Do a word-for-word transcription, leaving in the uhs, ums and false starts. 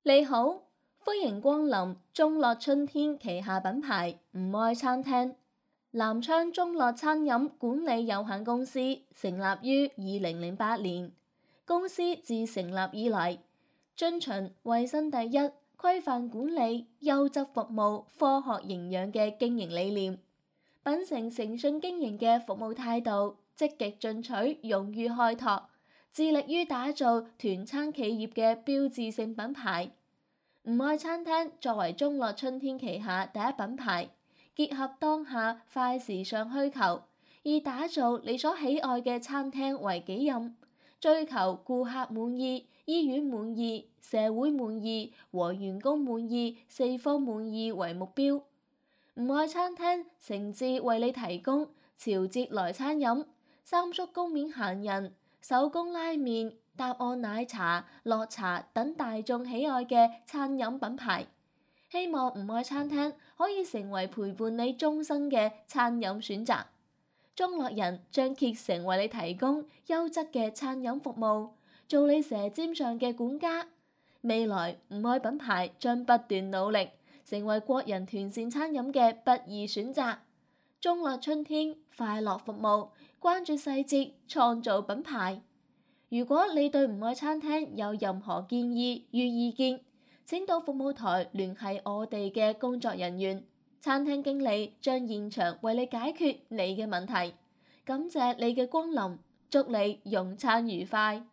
你好，歡迎光臨中樂春天旗下品牌吾愛餐廳。南昌中樂餐飲管理有限公司成立於二零零八年，公司自成立以嚟，遵循衛生第一、規範管理、優質服務、科學營養嘅經營理念，秉承誠信經營嘅服務態度，積極進取，勇於開拓，致力於打造團餐企業嘅標誌性品牌。吾愛餐廳作為中樂春天旗下第一品牌，結合當下快時尚需求，以打造你所喜愛嘅餐廳為己任，追求顧客滿意、醫院滿意、社會滿意和員工滿意四方滿意為目標。吾愛餐廳誠摯為你提供潮節來餐飲、三叔公免閒人、手工拉麵、答案奶茶、樂茶等大眾喜愛嘅餐飲品牌，希望吾愛餐廳可以成為陪伴你終生嘅餐飲選擇。中樂人將竭誠為你提供優質嘅餐飲服務，做你舌尖上嘅管家。未來吾愛品牌將不斷努力，成為國人團膳餐飲嘅不二選擇。中樂春天快樂服務，關注細節，創造品牌。如果你對吾愛餐廳有任何建議與意見，請到服務台聯繫我哋嘅工作人員，餐廳經理將現場為你解決你嘅問題。感謝你嘅光臨，祝你用餐愉快。